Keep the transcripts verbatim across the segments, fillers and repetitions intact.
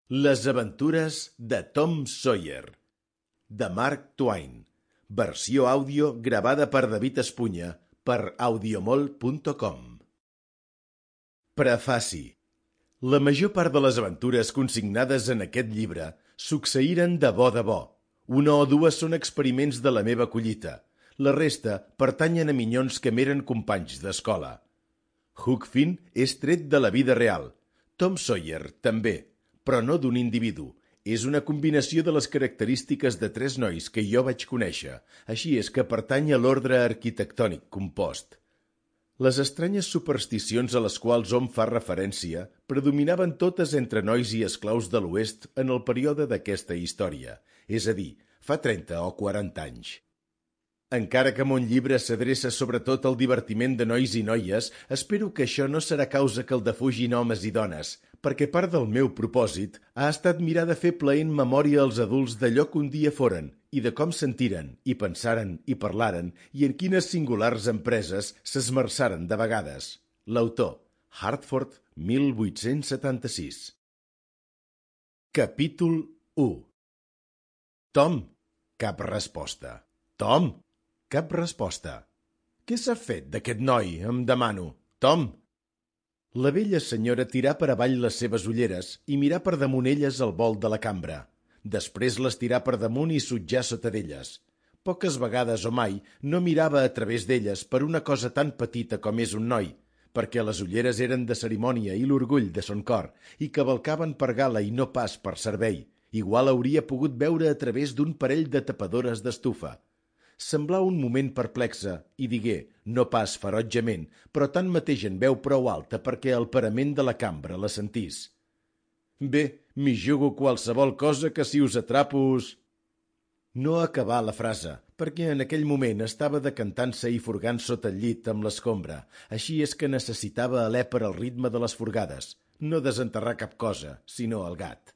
Les aventures de Tom Sawyer, de Mark Twain, versió àudio gravada per David Espunya per audiomol punt com. Prefaci. La major part de les aventures consignades en aquest llibre succeïren de bo de bo. Una o dues són experiments de la meva collita. La resta pertanyen a minyons que m'eren companys d'escola. Huck Finn és tret de la vida real. Tom Sawyer també, però no d'un individu. És una combinació de les característiques de tres nois que jo vaig conèixer, així és que pertany a l'ordre arquitectònic compost. Les estranyes supersticions a les quals hom fa referència predominaven totes entre nois i esclaus de l'Oest en el període d'aquesta història, és a dir, fa trenta o quaranta anys. Encara que mon llibre s'adreça sobretot al divertiment de nois i noies, espero que això no serà causa que el defugin homes i dones, perquè part del meu propòsit ha estat mirar de fer plaent memòria als adults d'allò que un dia foren, i de com sentiren, i pensaren, i parlaren, i en quines singulars empreses s'esmerçaren de vegades. L'autor, Hartford, mil vuit-cents setanta-sis. Capítol u. Tom, cap resposta. Tom, cap resposta. Què s'ha fet d'aquest noi, em demano? Tom! La vella senyora tirà per avall les seves ulleres i mirà per damunt elles el vol de la cambra. Després les tirà per damunt i sutjà sota d'elles. Poques vegades o mai no mirava a través d'elles per una cosa tan petita com és un noi, perquè les ulleres eren de cerimònia i l'orgull de son cor, i cavalcaven per gala i no pas per servei. Igual hauria pogut veure a través d'un parell de tapadores d'estufa. Semblà un moment perplexa i digué, no pas ferotgement, però tanmateix en veu prou alta perquè el parament de la cambra la sentís. Bé, m'hi jugo qualsevol cosa que si us atrapo us... No acabà la frase, perquè en aquell moment estava decantant-se i furgant sota el llit amb l'escombra, així és que necessitava alè per al ritme de les furgades, no desenterrar cap cosa, sinó el gat.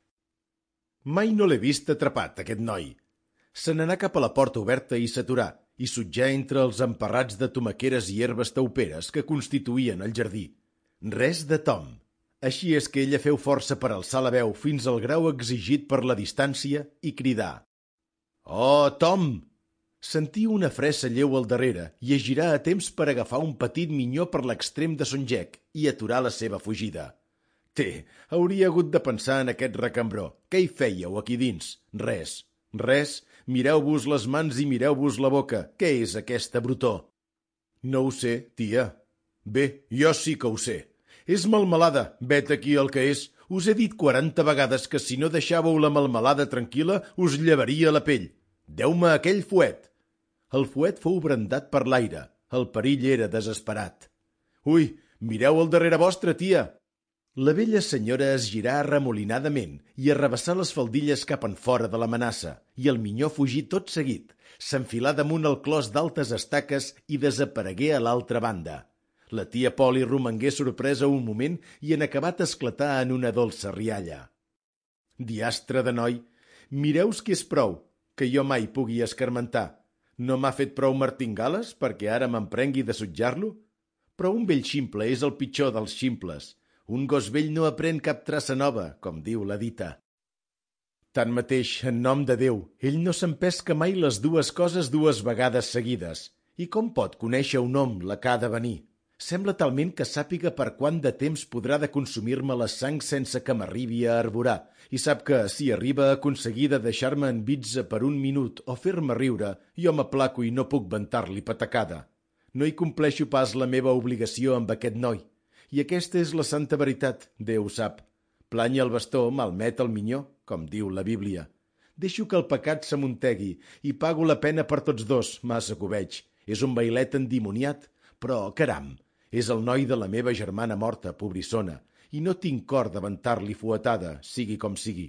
Mai no l'he vist atrapat, aquest noi. Se n'anà cap a la porta oberta i s'aturà, i sutjà entre els emparrats de tomaqueres i herbes tauperes que constituïen el jardí. Res de Tom. Així és que ella feu força per alçar la veu fins al grau exigit per la distància i cridar. «Oh, Tom!» Sentí una fressa lleu al darrere i es girà a temps per agafar un petit minyó per l'extrem de son gec i aturar la seva fugida. Té, hauria hagut de pensar en aquest recambró. Què hi fèieu aquí dins? Res. Res? Mireu-vos les mans i mireu-vos la boca. Què és aquesta brutó? No ho sé, tia. Bé, jo sí que ho sé. És melmelada, vet aquí el que és. Us he dit quaranta vegades que si no deixàveu la melmelada tranquil·la us llevaria la pell. Deu-me aquell fuet. El fuet fou brandat per l'aire. El perill era desesperat. Ui, mireu al darrere vostre, tia. La vella senyora es girà arremolinadament i arrabassà les faldilles cap en fora de l'amenaça, i el minyó fugí tot seguit, s'enfilà damunt el clos d'altes estaques i desaparegué a l'altra banda. La tia Polly romangué sorpresa un moment i en acabat esclatà en una dolça rialla. Diastre de noi, mireus que és prou, que jo mai pugui escarmentar. No m'ha fet prou martingales perquè ara m'emprengui de sutjar-lo? Però un vell ximple és el pitjor dels ximples. Un gos vell no aprèn cap traça nova, com diu la dita. Tanmateix, en nom de Déu, ell no s'empesca mai les dues coses dues vegades seguides. I com pot conèixer un hom la que ha de venir? Sembla talment que sàpiga per quant de temps podrà de consumir-me la sang sense que m'arribi a arborar, i sap que, si arriba a aconseguir de deixar-me en bitza per un minut o fer-me riure, jo m'aplaco i no puc ventar-li patacada. No hi compleixo pas la meva obligació amb aquest noi. I aquesta és la santa veritat, Déu sap. Plany el bastó, malmet el minyó, com diu la Bíblia. Deixo que el pecat s'amuntegui i pago la pena per tots dos, massa que ho veig. És un bailet endimoniat, però, caram, és el noi de la meva germana morta, pobrissona, i no tinc cor de ventar-li fuetada, sigui com sigui.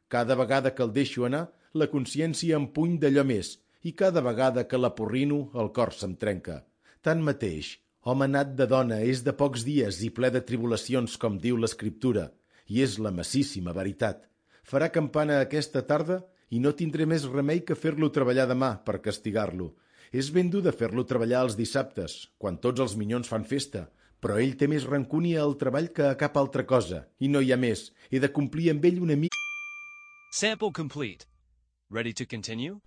Cada vegada que el deixo anar, la consciència em puny d'allò més, i cada vegada que la porrino, el cor se'm trenca. Tanmateix, home nat de dona és de pocs dies i ple de tribulacions, com diu l'Escriptura, i és la massíssima veritat. Farà campana aquesta tarda i no tindré més remei que fer-lo treballar demà per castigar-lo. És ben dur de fer-lo treballar els dissabtes, quan tots els minyons fan festa, però ell té més rancúnia al treball que a cap altra cosa, i no hi ha més. He de complir amb ell una mica... Sample complete. Ready to continue?